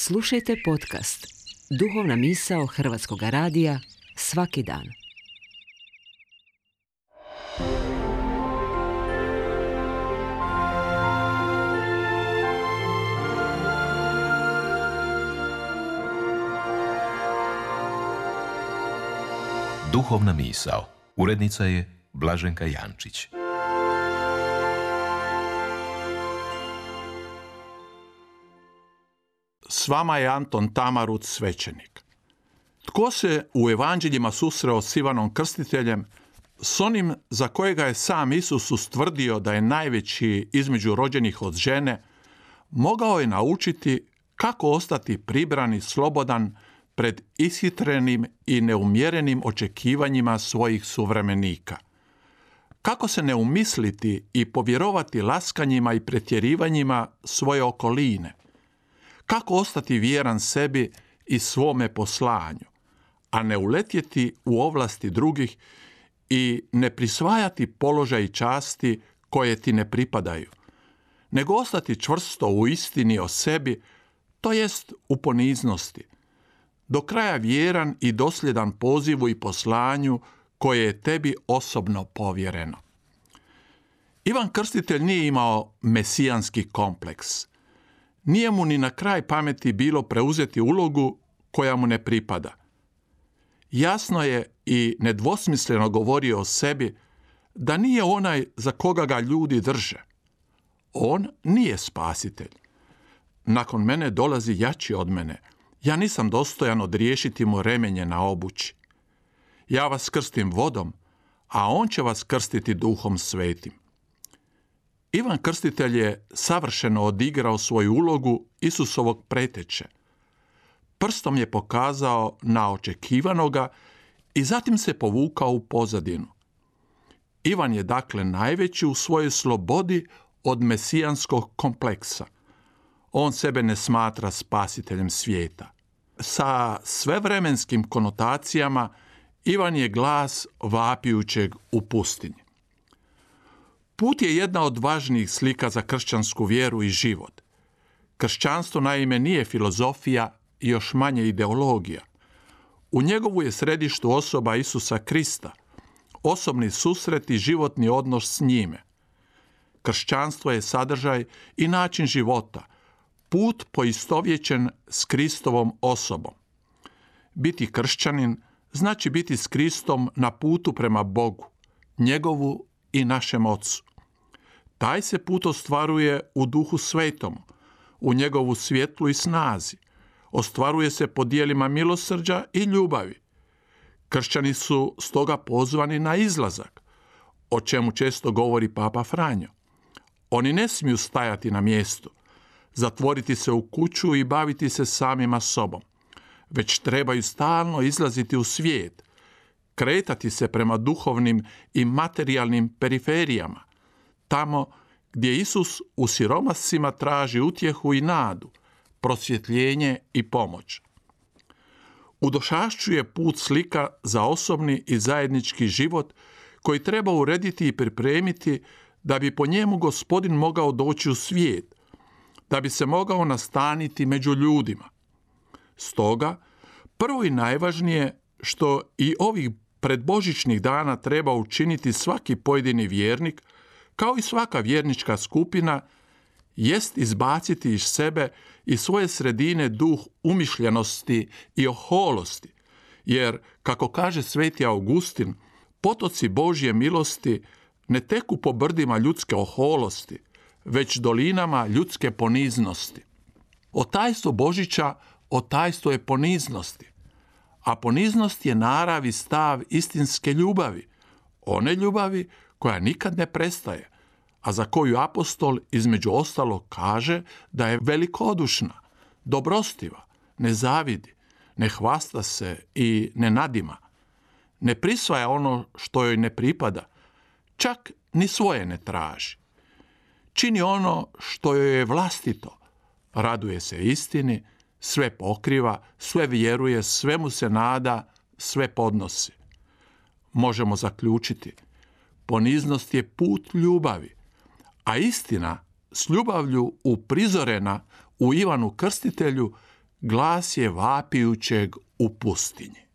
Slušajte podcast Duhovna misao Hrvatskog radija svaki dan. Duhovna misao. Urednica je Blaženka Jančić. S vama je Anton Tamaruc, svećenik. Tko se u evanđeljima susreo s Ivanom Krstiteljem, s onim za kojega je sam Isus ustvrdio da je najveći između rođenih od žene, mogao je naučiti kako ostati pribran i slobodan pred ishitrenim i neumjerenim očekivanjima svojih suvremenika. Kako se ne umisliti i povjerovati laskanjima i pretjerivanjima svoje okoline. Kako ostati vjeran sebi i svome poslanju, a ne uletjeti u ovlasti drugih i ne prisvajati položaj i časti koje ti ne pripadaju, nego ostati čvrsto u istini o sebi, to jest u poniznosti, do kraja vjeran i dosljedan pozivu i poslanju koje je tebi osobno povjereno. Ivan Krstitelj nije imao mesijanski kompleks. Nije mu ni na kraj pameti bilo preuzeti ulogu koja mu ne pripada. Jasno je i nedvosmisleno govorio o sebi da nije onaj za koga ga ljudi drže. On nije spasitelj. Nakon mene dolazi jači od mene. Ja nisam dostojan odriješiti mu remenje na obući. Ja vas krstim vodom, a on će vas krstiti Duhom Svetim. Ivan Krstitelj je savršeno odigrao svoju ulogu Isusovog preteče. Prstom je pokazao na očekivanoga i zatim se povukao u pozadinu. Ivan je dakle najveći u svojoj slobodi od mesijanskog kompleksa. On sebe ne smatra spasiteljem svijeta. Sa svevremenskim konotacijama Ivan je glas vapijućeg u pustinji. Put je jedna od važnijih slika za kršćansku vjeru i život. Kršćanstvo naime nije filozofija i još manje ideologija. U njegovu je središtu osoba Isusa Krista, osobni susret i životni odnos s njime. Kršćanstvo je sadržaj i način života, put poistovjećen s Kristovom osobom. Biti kršćanin znači biti s Kristom na putu prema Bogu, njegovu i našem Ocu. Taj se put ostvaruje u Duhu Svetom, u njegovu svjetlu i snazi. Ostvaruje se po dijelima milosrđa i ljubavi. Kršćani su stoga pozvani na izlazak, o čemu često govori Papa Franjo. Oni ne smiju stajati na mjestu, zatvoriti se u kuću i baviti se samima sobom, već trebaju stalno izlaziti u svijet, kretati se prema duhovnim i materijalnim periferijama, tamo gdje Isus u siromasima traži utjehu i nadu, prosvjetljenje i pomoć. U došašću je put slika za osobni i zajednički život koji treba urediti i pripremiti da bi po njemu Gospodin mogao doći u svijet, da bi se mogao nastaniti među ljudima. Stoga, prvo i najvažnije što i ovih predbožićnih dana treba učiniti svaki pojedini vjernik, kao i svaka vjernička skupina, jest izbaciti iz sebe i svoje sredine duh umišljenosti i oholosti, jer, kako kaže sveti Augustin, potoci Božje milosti ne teku po brdima ljudske oholosti, već dolinama ljudske poniznosti. Otajstvo Božića otajstvo je poniznosti, a poniznost je narav i stav istinske ljubavi, one ljubavi koja nikad ne prestaje, a za koju apostol između ostalog kaže da je velikodušna, dobrostiva, ne zavidi, ne hvasta se i ne nadima, ne prisvaja ono što joj ne pripada, čak ni svoje ne traži. Čini ono što joj je vlastito, raduje se istini, sve pokriva, sve vjeruje, svemu se nada, sve podnosi. Možemo zaključiti, poniznost je put ljubavi, a istina s ljubavlju uprizorena u Ivanu Krstitelju glas je vapijućeg u pustinji.